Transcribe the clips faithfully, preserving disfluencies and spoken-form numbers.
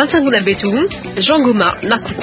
Nsangu na beto, Jean Goma Maku.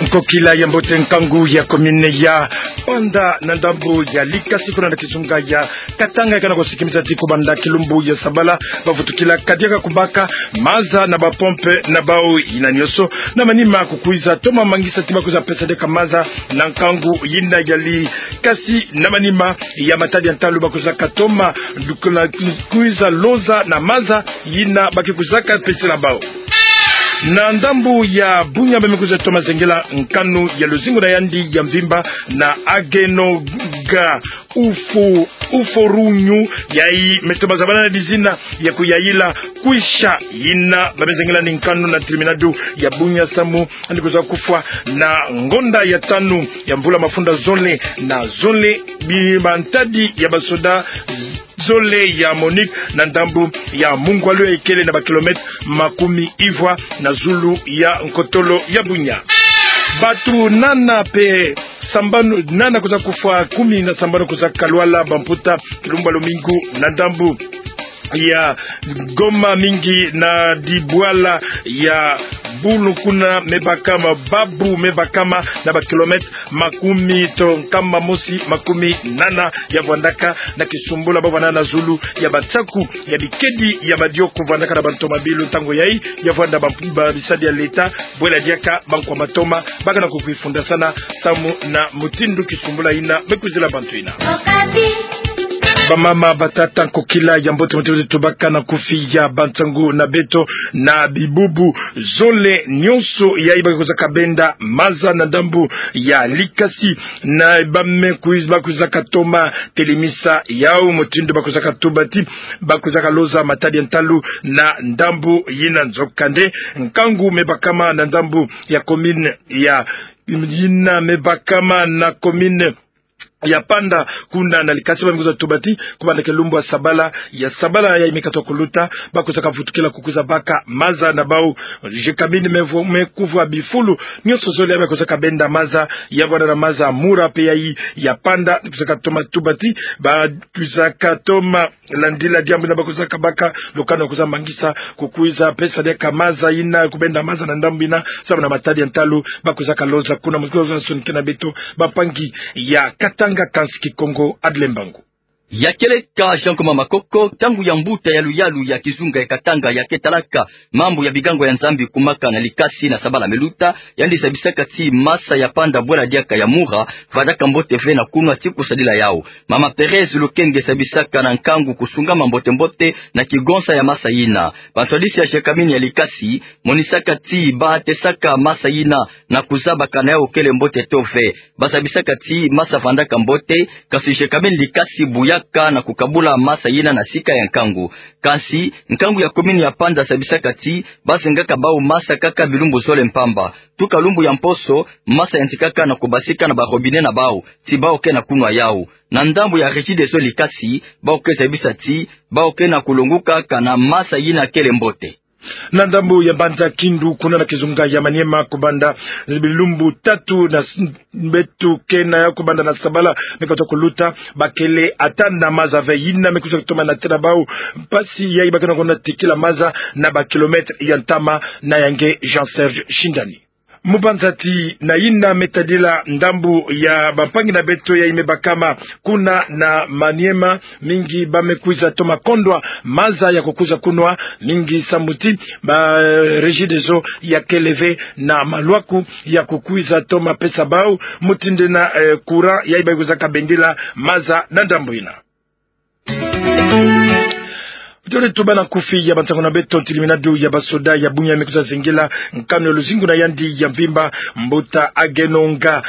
Nkokila ya mbote, nkangu ya commune ya Panda na ndambu ya Likasi kuna na kizunga ya Katanga, kana kosikimisa ti kobanda kilumbu ya sabala, bavutukila kadiaka kobaka maza na bapompe na bau. Yina nyonso na manima kukwiza toma mangisa ti bakwiza pesa diaka maza na nkangu yina ya Likasi. Na manima ya matadi ya ntalu bakwizaka toma lukula kwiza loza na maza yina ba ke kwizaka pesela bau. Na ndambu ya Bunia, ba me kwiza toma zengela nkanu ya luzingu na yandi ya mvimba na Agenonga Ufo, Uforunyu, yayi me toma zabana na dizina ya kuyayila kwisha. Yina ba me zengela ni nkanu na terminado ya Bunia samu yandi kwiza kufwa na ngonda ya tanu ya mvula mafunda zole na zole, bi mantadi ya basoda zole ya MONUC na ndambu ya Mungwalu yayi kele na ba kilomètre makumi ivwa na zulu ya nkotolo ya Bunia. Bato nana pe sambanu, nana kwiza kufwa, kumi na sambanu kwiza kalwala, bamputa kilumbu ya lumingu na ndambu ya Goma, mingi na dibwala ya Bulu kuna me bakama, babu me bakama na ba kilomètre makumi to nkama mosi makumi nana ya vwandaka na kisumbula ba vwanda na zulu ya batsaku ya bikedi ya badioko vwandaka na bantomabilu. Ntangu yayi ya vwanda ba, ba bisadi ya leta bwela diaka bankwa matoma, baka na kukwifundasana samu na mutindu kisumbula yina me kwizila bantu yina. Bamama, batata, nkokila ya mbote, mbote, mbote, tubaka na kufi ya bansangu na beto na bibubu zole nyonso yayi ba ke kwizaka benda maza na ndambu ya Likasi, na ba me kwiz-, ba kwizaka toma telemisa yau mutindu ba kwizaka tuba ti ba kwizaka loza matadi ya ntalu na ndambu yina. Nzokande, nkangu me bakama na ndambu ya commune ya, yina me bakama na commune ya Panda kuna na Likasi, ba me kwiza tuba ti kobanda kilumbu ya sabala, ya sabala yayi me katuka kuluta, ba kwizaka vutukila kukwiza baka maza na bau. Jekabini me vo-, me kuvwa bifulu nyonso zole yayi ba kwizaka benda maza, ya vwanda na maza Mura pe yayi ya Panda, kwizaka toma tuba ti ba kwizaka toma landila diambu yina ba kwizaka baka lukanu ya kwiza mangisa kukwiza pesa diaka maza yina, kubenda maza na ndambu yina samu na matadi ya ntalu ba kwizaka loza kuna. Mu kwiza sonikena beto bampangi ya Katanga, kansi Kikongo Adle Mbangu. Ya kieleka Jean Koma Makoko, ntangu ya mbuta ya luyalu ya kizunga ya Katanga ya ke talaka mambu ya bigango ya Nzambi kumaka na Likasi na sabala me luta, yandi zabisaka ti masa ya Panda bwela diaka ya Mura vandaka mbote ve na kunwa ti kusadila yau. Mama Thérèse Lukenge zabisaka na nkangu kusungama mbote-mbote na kigonsa ya masa yina. Bantwadisi ya Jekabini ya Likasi monisaka ti ba tesaka masa yina na kuzabaka na yau kele mbote to ve. Ba zabisaka ti masa vandaka mbote, kansi Jekabini Likasi buyaka na kukabula masa yina na sika ya nkangu. Kansi nkangu ya commune ya Panda zabisaka ti ba zengaka bau masa kaka bilumbu zole mpamba. Tuka lumbu ya mposo, masa yantikaka na kubasika na ba robinet na bau, ti bau ke na kunwa yau. Na ndambu ya Regideso Likasi, bau ke zabisa ti bau ke na kulongukaka na masa yina kele mbote. Na ndambu ya mbanza Kindu kuna na kizunga ya Maniema, kubanda bilumbu tatu na s-, beto ke na yau, kubanda na sabala me katuka kuluta, ba kele ata na maza ve. Yina me kwiza toma natila bau mpasi yayi ba ke na kwenda tikila maza na ba kilomètre ya ntama. Na ya nge Jean Serge Shindani. Mu banza ti na yina me tadila ndambu ya bampangi na beto yayi me bakama kuna na Maniema, mingi ba me kwiza toma kondwa maza ya kukwiza kunwa, mingi samu ti ba Regideso ya kele ve na malwaku ya kukwiza toma pesa bau mutindu na, eh, courant yayi ba kwizaka bendila maza na ndambu yina. Tole tuba na kufi ya bansangu na beto ti terminado ya basoda ya Bunia me kwiza zengela nkanu ya luzingu na yandi ya mvimba, mbuta Agenonga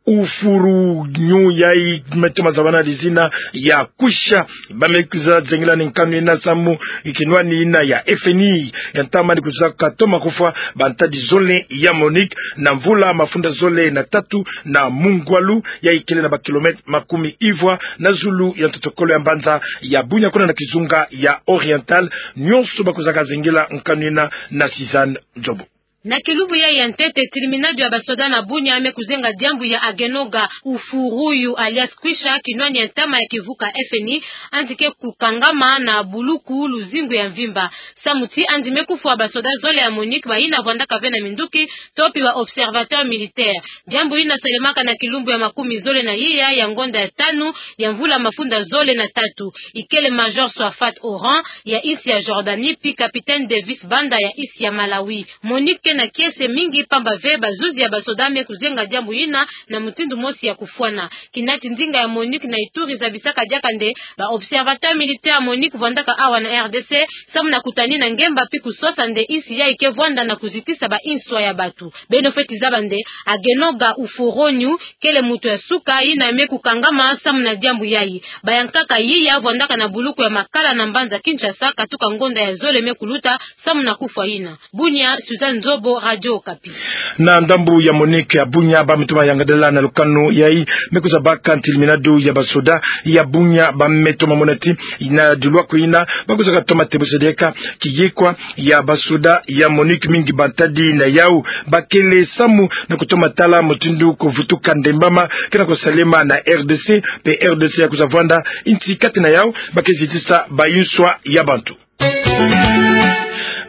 Ufurunyu yayi me toma zabana dizina ya kwisha. Ba me kwiza zengela ni nkanu yina samu kinwani yina ya F N I ya ntama ni kwizaka toma kufwa bantadi zole ya MONUC na mvula mafunda zole na tatu na Mungwalu yayi kele na ba kilomètre makumi ivwa na zulu ya ntotokolo ya mbanza ya Bunia kuna na kizunga ya Oriental. Nyonso ba kwizaka zengela nkanu yina na Suzanne Nzobo. Na kilumbu ya ya ntete, tribunal ya basoda na Bunia me kuzenga diambu ya Agenoga Ufuruyu alias Kwisha, kinwani ya ntama ya kivuka F N I, andi ke kukangama na buluku luzingu ya mvimba. Samu ti andi me kufwa basoda zole ya MONUC, bayina vwandaka ve na minduki, to pi ba observateur militaire. Diambu yina salemaka na kilumbu ya makumi zole na iya ya ngonda ya tanu ya mvula mafunda zole na tatu. Ikele Major Swafat Oran ya insi ya Jordanie, pi Capitaine Davis Banda ya insi ya Malawi. MONUC ke na kiese mingi, pamba ve bazuzi ya basoda me kuzenga diambu yina na mutindu mosi ya kufwana. Kinati ndinga ya MONUC na Ituri zabisaka diaka nde ba observateur militaire ya MONUC vwandaka awa na R D C, samu na kutanina ngemba pi kusosa nde insi yayi ke vwanda na kuzitisa ba inswa ya batu. Beno fweti zaba nde Agenoga Ufuruyu kele muntu ya suka yina me kukangama samu na diambu yayi. Bayankaka yiya vwandaka na buluku ya Makala na mbanza Kinshasa, katuka ngonda ya zole me kuluta samu na kufwa yina. Bunia, Suzanne Nzobo, Radio Okapi. Na ndambu ya MONUC ya Bunia, ba me toma yangadala na lukanu yayi me kwiza baka ntilminadu ya basoda ya Bunia, ba me toma mona ti na dilwaku yina ba kwizaka toma tebusa diaka kiyekwa ya basoda ya MONUC, mingi bantadi na yawu bakele samu na kutoma tala mutindu kuvutuka ndembama ke na kusalema na R D C, pe R D C ya kwiza vwanda insi kati na yawu ba ke zitisa ba inswa ya bantu.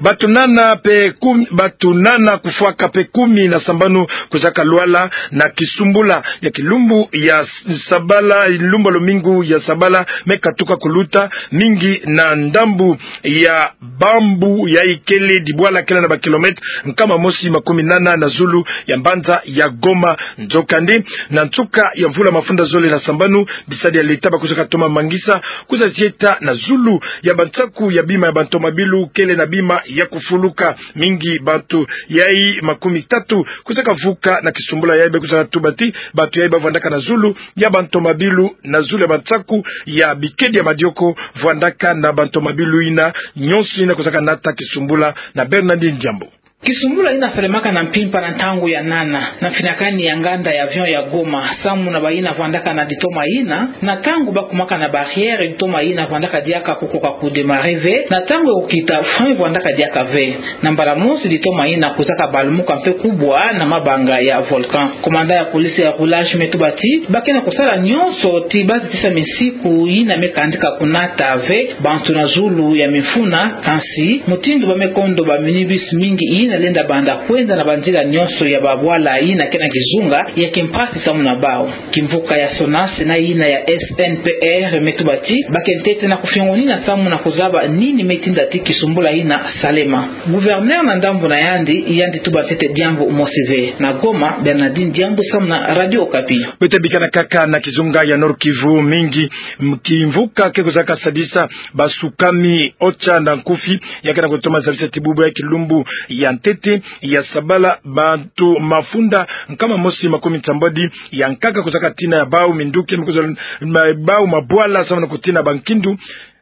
Batu nana pe kumi, batu nana kufwaka pe kumi na sambanu kwizaka lwala na kisumbula ya kilumbu ya s-, sabala, lumbu lumingu ya sabala me katuka kuluta, mingi na ndambu ya Bambu, yayi kele dibwala kele na ba kilomètre nkama mosi makumi nana na zulu ya mbanza ya Goma. Nzokande, na nsuka ya mvula mafunda zole na sambanu, bisadi ya leta ba kwizaka toma mangisa kwiza zieta na zulu ya bansaku ya bima ya bantomabilu kele na bima ya kufuluka. Mingi bantu yayi makumi tatu kwizaka vuka na kisumbula yayi. Be kwizaka tuba ti bantu yayi ba vwandaka na zulu ya bantomabilu, na zulu ya bansaku ya bikedi ya madioko vwandaka na bantomabilu yina. Nyonso yina kwizaka nata kisumbula na Bernardine Diambu. Kisumbula yina salemaka na mpimpa na ntangu ya nana na mfinakani ya nganda ya avion ya Goma, samu na bayina vwandaka na ditoma yina, na ntangu ba kumaka na barrière, ditoma yina vwandaka diaka kukoka kudémarrer ve, na ntangu ya kukita, frein vwandaka diaka ve. Na mbala mosi ditoma yina kwizaka balumuka mpe kubwa na mabanga ya volcan. Commandant ya police ya roulage me tuba ti ba ke na kusala nyonso ti ba zitisa misiku yina me kandika kunata ve bantu na zulu ya mifuna, kansi mutindu ba me kondo ba minibus mingi yina lenda banda kwenda na banzila nyonso ya babwala yina ke na kizunga ya kimpasi samu na bawu. Kimvuka ya SONAS na yina ya S N P R me tuba ti ba ke ntete na kufiongonina samu na kuzaba nini me tinda ti kisumbula yina salema. Gouverneur na ndambu na yandi, yandi tuba ntete diambu mosi ve. Na Goma, Bernardine Diambu samu na Radio Okapi. Beto bikana kaka na kizunga ya Nord-Kivu, mingi m-, kimvuka ke kwizaka sadisa basukami OCHA na nkufi, ya ke na kutoma zabisa ti bubu ya kilumbu ya ntete ya sabala, bantu mafunda nkama mosi makumi nsambwadi ya nkaka kwizaka tina ya bawu, minduki me kwiza ma-, bawu mabwala samu na kutina bankindu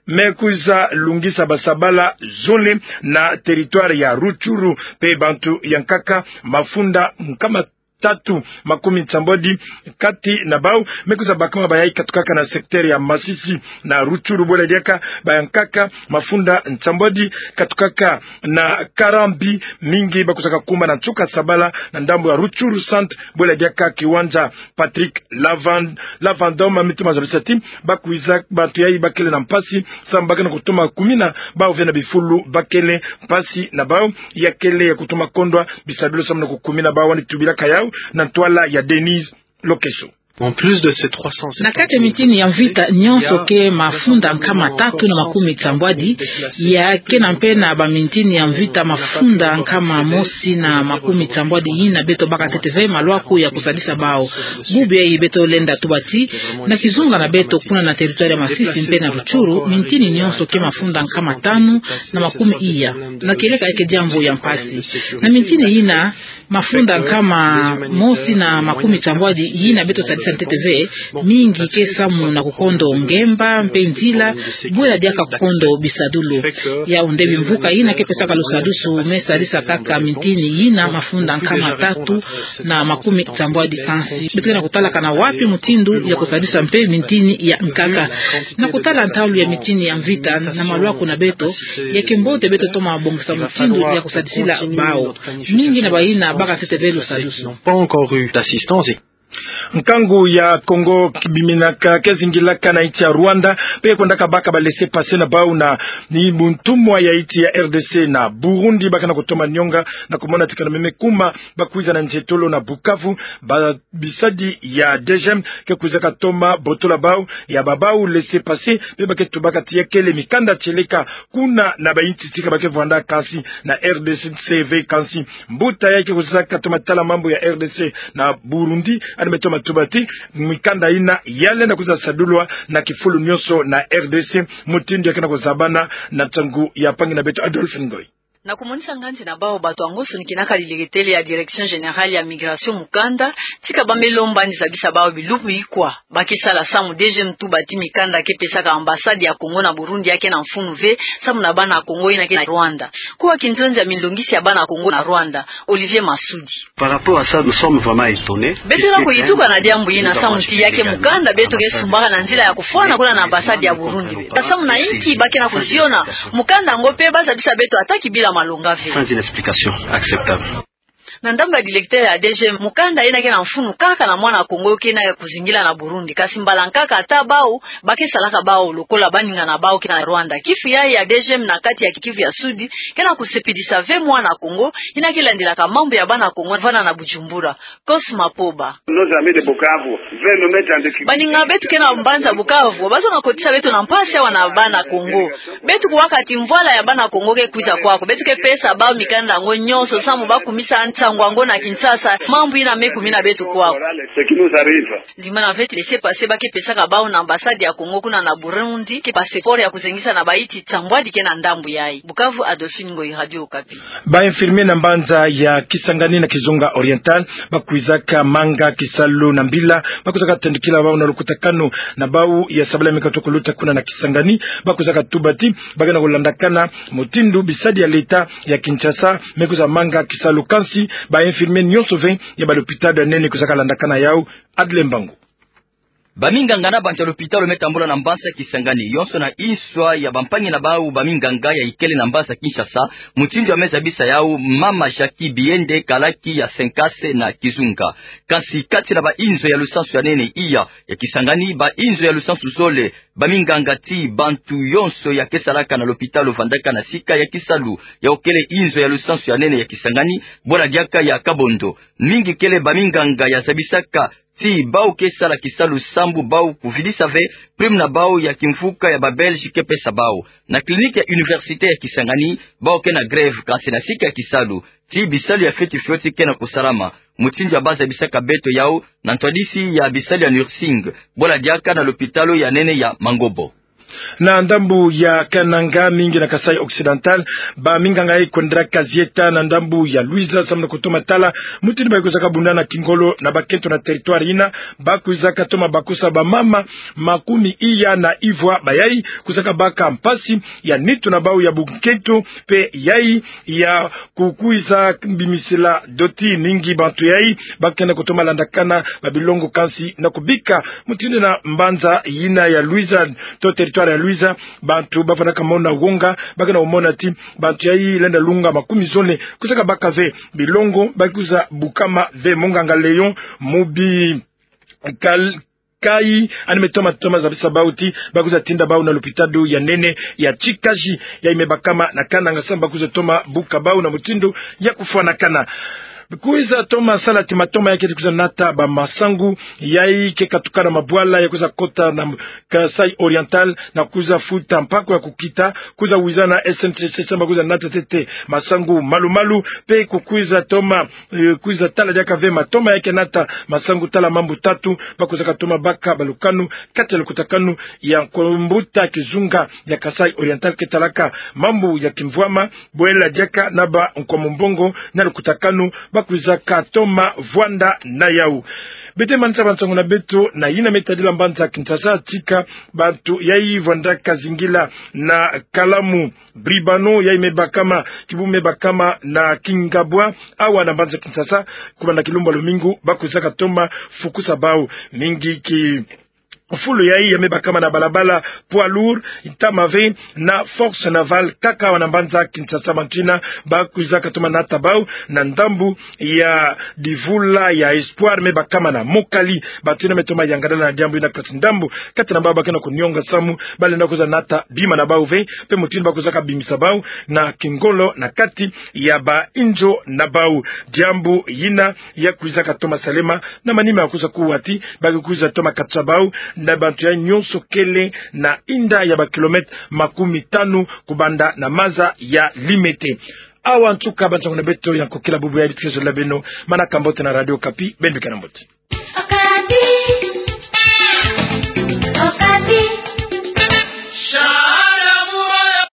me kwiza lungisa basabala zole na territoire ya Rutshuru, mpe bantu ya nkaka mafunda nkama tatu makumi nsambwadi kati na bawu me kwiza bakama, bayayi katukaka na secteur ya Masisi na Rutshuru, bwela diaka baya nkaka mafunda nsambwadi katukaka na Karambi. Mingi ba kwizaka kuma na nsuka sabala na ndambu ya Rutshuru Centre, bwela diaka kiwanja Patrick Lavan-, Lavandom, me toma zabisa ti ba kwiza, bantu yayi ba kele na mpasi samu ba ke na kutoma kumina bawu ve na bifulu ba kele mpasi na bawu, ya kele ya kutoma kondwa bisadulu samu na kukumina bawu, wani tubilaka yawu na ntwala ya Denise Lokeso. En plus de ces trois cent septante, na kati ya mintini ya mvita nyonso ke mafunda nkama tatu na makumi nsambwadi, ya ke na mpe na bamintini ya mvita mafunda nkama mosi na makumi nsambwadi yina beto baka ntete ve malwaku ya kusadisa bawu. Bubu yayi beto lenda tuba ti na kizunga na beto kuna na territoire ya Masisi mpe na Rutshuru, mintini nyonso ke mafunda nkama tanu na makumi iya. Na kieleka ke diambu ya mpasi. Na mintini yina, mafunda nkama mosi na makumi nsambwadi yina beto sadisa Ntete ve, mingi ke samu na kukondo ngemba mpe nzila, bwela diaka kukondo bisadulu. Yau nde bimvuka yina ke pesaka lusadusu me sadisa kaka mintini yina mafunda nkama tatu na makumi tsambwadi kansi. Beto ke na kutalaka na wapi mutindu ya kusadisa mpe mintini ya nkaka. Na kutala ntalu ya mintini ya mvita na malwaku na beto, ya ke mbote beto toma bongisa mutindu ya kusadisila bau. Mingi na bayina baka ntete ve lusadusu. Nkangu ya Congo kibiminaka ke zingilaka na insi ya Rwanda, mpe kwendaka baka ba laissez-passer na bau na ni buntumwa ya insi ya R D C na Burundi, ba ke na kutoma nionga na kumona ti kana meme kuma ba kwiza na nzietolo na Bukavu, ba bisadi ya D G M ke kwizaka toma botola bau, ya ba bau laissez-passer, mpe ba ke tubaka ti ya kele mikanda tieleka kuna na ba insi tika ba ke vwanda kansi na R D C ve kansi. Mbuta ya ke kwizaka toma tala mambu ya R D C na Burundi, yandi me toma tuba ti mikanda yina ya lenda kwiza sadulwa na kifulu nionso na R D C, mutindu ya ke na kuzabana na nsangu ya mpangi na beto Adolphe Ngoyi. Na kumonisa nkanzi na bau, bato yango sonikina ka lilegetele ya Direction Générale ya Migration mukanda, tika ba me lomba yandi zabisa bau bilumbu ikwa ba ke sala samu D G M tuba ti mikanda ke pesaka ambassade ya Congo na Burundi ya ke na mfunu ve, samu na bana Congo yina ke na Rwanda. Kuwa kinzonzi ya milongisi ya bana Congo na Rwanda, Olivier Masudi. Par rapport à ça, nous sommes vraiment étonnés. Beto ke na kuyituka na diambu yina, samu ti ya ke mukanda beto ke sumbaka na nzila ya kufwana kuna na ambassade ya Burundi. Samu na inki ba ke na kuziona mukanda yango mpe ba zabisa beto ata kibila malonga ve? Sans une explication acceptable. Na ndambu ya directeur ya D G M, mukanda yina ke na mfunu kaka na mwana Congo ke na kuzingila na Burundi. Kasi mbala nkaka ata bau, ba ke salaka bau lokola baninga na bau ke na Rwanda. Kifu ya, ya D G M na kati ya Kivu ya Sudi ke na kusepelisa ve mwana Congo yina ke landilaka mambu ya bana Congo vana na Bujumbura. Cosma Poba. Nos amis de Bukavu veulent nous mettre en difficulté. Baninga beto ke na mbanza Bukavu, bazo na kotisa beto na mpasi awa na bana Congo. Beto kuwaka ti mvwala ya bana Congo ke kwiza kwaku, beto ke pesa bau mikanda yango nionso samu ba kumisa nsangu yango na Kinshasa, mambu yina me kumina beto kwaku. Ce qui nous arrive. Ndimana ve ti laissez-passer ba ke pesaka bau na ambassade ya Congo kuna na Burundi, ke passeport ya kuzengisa na ba insi sambwadi ke na ndambu yayi. Bukavu, Adolphine Ngoyi, Radio Okapi. Ba infirmier na mbanza ya Kisangani na Kizunga Oriental, ba kwizaka manga kisalu na mbila, ba kwizaka tendukila bau na lukutakanu na bau ya sabala mika toko luta kuna na Kisangani, ba kwizaka tuba ti ba ke na kulandakana mutindu bisadi ya leta ya Kinshasa me kwiza manga kisalu, kansi ba infirmier nionso ve ya ba lopitalo ya nene kwizaka landakana yau. Adle Mbangu. Baminganga na bantu ya lopitalo me tambula na mbanza Kisangani yonso na inswa ya bampangi na bau baminganga ya ikele na mbanza Kinshasa, mutindu ya me zabisa yau mama Jackie Biende, kalaki ya Senkase na Kizunga. Kansi kati na bainzo ya lusansu ya nene iya ya Kisangani, bainzo ya lusansu zole, baminganga ti bantu yonso ya ke salaka na lopitalo vandaka na sika ya kisalu yau kele inzo ya lusansu ya nene ya Kisangani, bwala diaka ya Kabondo. Mingi kele baminganga ya zabisaka ti bau ke sala kisalu sambu bau kuvidisa ve prime na bau ya kimvuka ya ba Belge ke pesa bau. Na clinique ya université ya Kisangani, bau ke na grève, kansi na sika ya kisalu ti bisalu ya fioti fioti ke na kusalama. Mutindu ya ba zabisaka beto yau na ntwadisi ya bisalu ya nursing, bwala diaka na lopitalo ya nene ya Mangobo. Na ndambu ya Kananga, mingi na Kasaï Occidental, baminganga ya kwendelaka zieta na ndambu ya Luiza samu na kutoma tala mutindu ba kwizaka bunda na kingolo na bakento na territoire yina, ba kwizaka toma bakusa bamama makumi iya na ivwa bayai kwizaka baka mpasi ya nitu na bau ya bunkento, mpe yai ya kukwiza bimisila doti. Mingi bantu yai ba ke na kutoma landakana babilongo, kansi na kubika mutindu na mbanza yina ya Luiza, to territoire ya Luiza, bantu ba vandaka mona wonga, ba ke na kumona ti bantu yai lenda lunga makumi zole kwizaka baka ve bilongo, ba kwiza bukama ve. Monganga Léon Mubi Kal-, Kai, yandi me toma, toma zabisa bau ti ba kwiza tinda bau na lopitalo ya nene ya Tshikaji, yai me bakama na Kananga samu ba kwiza toma buka bau na mutindu ya kufwanakana. Kwiza toma sala ti matoma ya keti kwiza nata bamasangu yai ke katukana mabwala ya kwiza kota na Kasaï Oriental na kwiza futa mpako ya kukita, kwiza wiza na S N C C samu ba kwiza nata ntete masangu malu-malu, mpe kukwiza toma, eh, kwiza tala diaka ve matoma ya ke nata masangu tala mambu tatu, ba kwizaka toma baka balukanu kati ya lukutakanu ya nkumbuta kizunga ya Kasaï Oriental ke talaka mambu ya kimvwama, bwela diaka na ba nkwa mumbongo na lukutakanu ba kwizaka toma vwanda na yau. Beto manisa bansangu na beto na yina me tadila mbanza Kinshasa, tika bantu yayi vwandaka zingila na kalamu Bribano, yayi me bakama, kibu me bakama na Kingabwa, awa na mbanza Kinshasa, kubanda kilumbu ya lumingu, bakwizaka toma fukusa bau. Mingi ki fulu yayi ya me bakama na balabala poids lourd, ntama ve na Force Navale, kaka awa na mbanza Kinshasa, bantu yina bakwizaka toma nata bau na ndambu ya divula ya Espoir, me bakama na Mokali. Bantu yina me toma yangadala na diambu yina, kasi ndambu kati na bau bakena kunionga samu, balenda kwiza nata bima na bau ve, mpe mutindu bakwizaka bimisa bau na kingolo na kati ya bainzo na bau. Diambu yina ya kwizaka toma salema na manima ya kwiza kuwa ti, ba ke kwiza toma katisa bau na bantu ya nyonso kele na inda ya bakilomètre makumi tanu kubanda na maza ya Limete. Awa nsuka bansangu na beto ya nkokila bubu ya bitekezo la beno, manaka mbote na Radio Okapi, beno bikana mbote.